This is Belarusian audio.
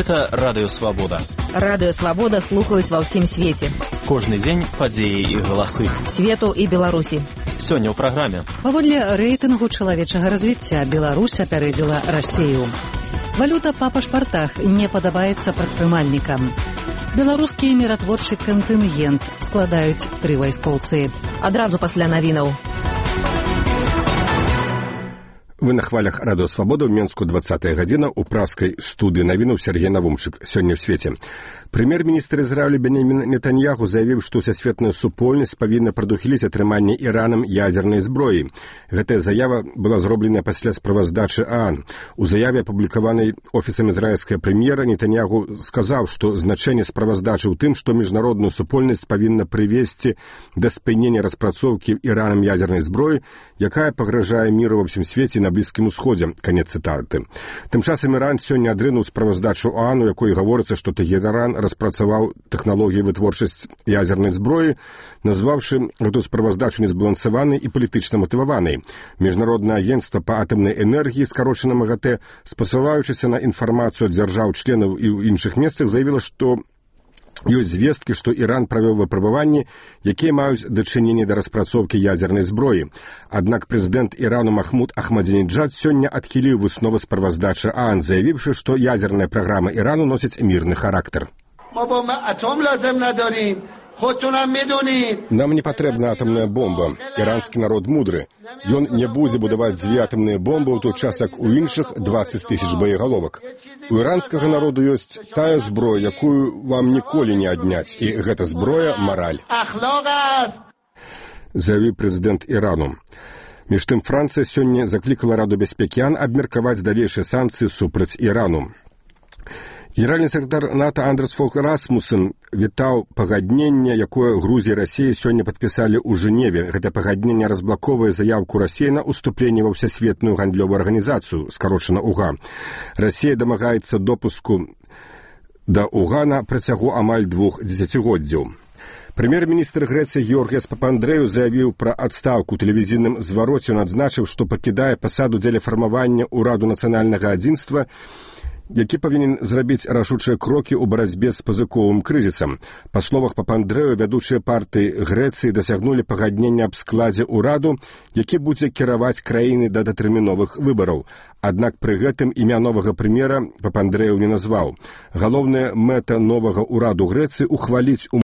Гэта Радыё Свабода. Радыё Свабода слухаюць ва ўсім свеце. Кожны дзень падзеі і галасы. Свету і Беларусі. Сёння ў праграме. Паводле рэйтынгу чалавечага развіцця Беларусь апярэдзіла Расію. Валюта па пашпартах не падабаецца прадпрымальнікам. Беларускі міратворчы кантынгент складаюць 3 вайскоўцы. Адразу пасля навінаў. Вы на хвалях Радыё Свабода, ў Менску 20-я гадзіна, у пражскай студыі навінаў Сергей Навумчык. Сёння ў свеце. Прэм'ер-міністр Ізраілю Бенямін Нетаньяху заявіў, што ўсесветная супольнасць павінна прадухіліць атрыманне Іранам ядзернай зброі. Гэтая заява была зробленая пасля справаздачы ААН. У заяве, апублікаванай офісам ізраільскага прэм'ера, Нетаньяху сказаў, што значэнне справаздачы ў тым, што міжнародную супольнасць павінна прывесці да спынення распрацоўкі Іранам ядзернай зброі, якая пагражае міру ва ўсім свеце на Блізкім Усходзе. Канец цытаты. Тым часам Іран сёння адрынуў справаздачу ААН, у якой гаворыцца, што Тэхеран распрацаваў тэхналогіі вытворчасць ядзернай зброі, назваўшы гэту справаздачу незбалансаванай і палітычна матываванай. Міжнароднае агенцтва па атамнай энергіі, скарочана МАГАТЭ, спасылаючыся на інфармацыю ад дзяржаў-членаў і ў іншых месцах, заявіла, што ёсць звесткі, што Іран правёў выпрабаванні, якія маюць дачыненне да распрацоўкі ядзернай зброі. Аднак прэзідэнт Ірану Махмуд Ахмадзінеджад сёння адхіліў высновы справаздачы ААН, заявіўшы, што ядзерная праграма Ірану носіць мірны характар. Нам не патрэбна атамная бомба. Іранскі народ мудры. Ён не будзе будаваць 2 атамныя бомбы ў той час, як у іншых 20 тысяч боегаловак. У іранскага народу ёсць тая зброя, якую вам ніколі не адняць, і гэта зброя — мараль. Заявіў прэзідэнт Ірану. Між тым, Францыя сёння заклікала Раду бяспекі ААН абмеркаваць далейшыя санкцыі супраць Ірану. Генеральны сакратар НАТО Андерс Фог Расмуссен вітаў пагадненне, якое Грузія і Расія сёння падпісалі ў Жэневе. Гэта пагадненне разблаковае заяўку Расіі на ўступленне ва ўсесветную гандлёвую арганізацыю, скарочана УГА. Расія дамагаецца допуску да УГА на працягу амаль 2 дзесяцігоддзяў. Прэм'ер-міністр Грэцыі Георгіас Папандрэу заявіў пра адстаўку ў тэлевізійным звароце. Ён адзначыў, што пакідае пасаду дзеля фармавання ўраду нацыянальнага адзінства, які павінен зрабіць рашучыя крокі ў барацьбе з пазыковым крызісам. Па словах Папандрэу, вядучыя партыі Грэцыі дасягнулі пагаднення аб складзе ўраду, які будзе кіраваць краіны да датэрміновых выбараў. Аднак пры гэтым імя новага прэм'ера Папандрэу не назваў. Галоўная мэта новага ўраду Грэцыі — ухваліць